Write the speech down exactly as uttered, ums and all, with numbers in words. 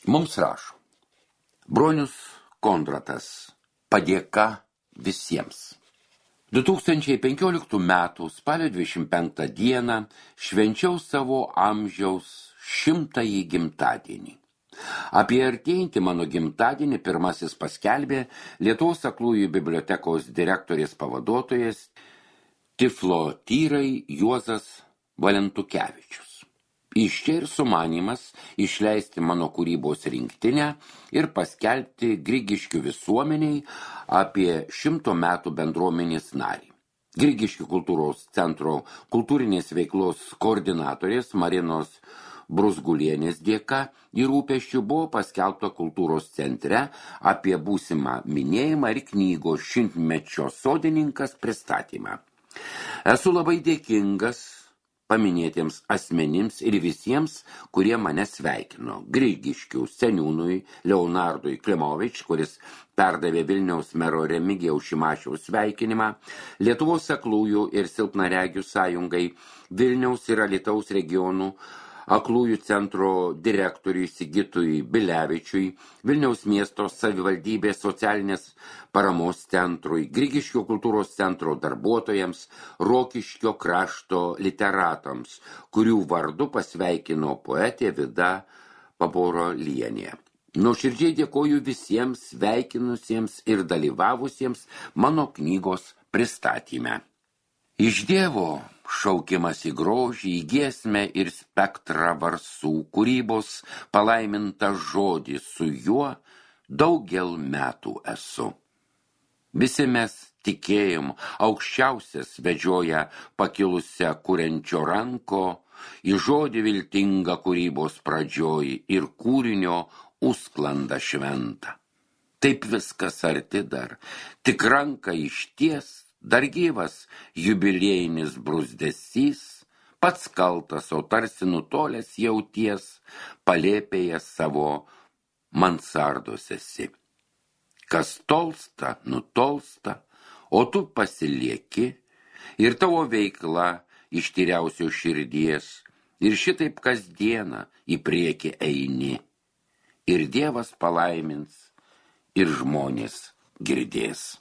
Mums rašo. Bronius Kondratas. Padėka visiems. du tūkstančiai penkioliktų metų spalio dvidešimt penktą dieną švenčiau savo amžiaus šimtąjį gimtadienį. Apie artėjantį mano gimtadienį pirmasis paskelbė Lietuvos aklųjų bibliotekos direktorės pavaduotojas tiflotyrai Juozas Valentukevičius. Iš čia ir sumanymas išleisti mano kūrybos rinktinę ir paskelbti Grigiškių visuomeniai apie šimto metų bendruomenės narį. Grigiškių kultūros centro kultūrinės veiklos koordinatorės Marinos Brusgulienės dėka ir rūpesčių buvo paskelbta kultūros centre apie būsimą minėjimą ir knygos šimtmečio sodininkas pristatymą. Esu labai dėkingas paminėtiems asmenims ir visiems, kurie mane sveikino. Grigiškių seniūnui Leonardui Klimovič, kuris perdavė Vilniaus mero Remigijaus Šimašiaus sveikinimą, Lietuvos aklųjų ir silpnaregių sąjungai, Vilniaus ir Alytaus regionų aklųjų centro direktoriui Sigitui Bilevičiui, Vilniaus miesto savivaldybės socialinės paramos centrui, Grigiškių kultūros centro darbuotojams, Rokiškio krašto literatams, kurių vardu pasveikino poetė Vida Paborolienė. Nuoširdžiai dėkoju visiems sveikinusiems ir dalyvavusiems mano knygos pristatyme. Iš Dievo šaukimas į grožį, į giesmę ir spektrą varsų, kūrybos palaimintą žodį, su juo daugel metų esu. Visi mes tikėjom, aukščiausias vedžioja pakilusią kuriančio ranko, į žodį viltingą kūrybos pradžioj ir kūrinio užsklanda šventą. Taip viskas arti dar, tik ranka išties, dar gyvas jubiliejinis bruzdesys, pats kaltas, o tarsi nutolęs jauties, palėpėje savo mansardos esi. Kas tolsta, nutolsta, o tu pasilieki, ir tavo veikla iš tyriausio širdies, ir šitaip kasdieną į priekį eini, ir Dievas palaimins, ir žmonės girdės.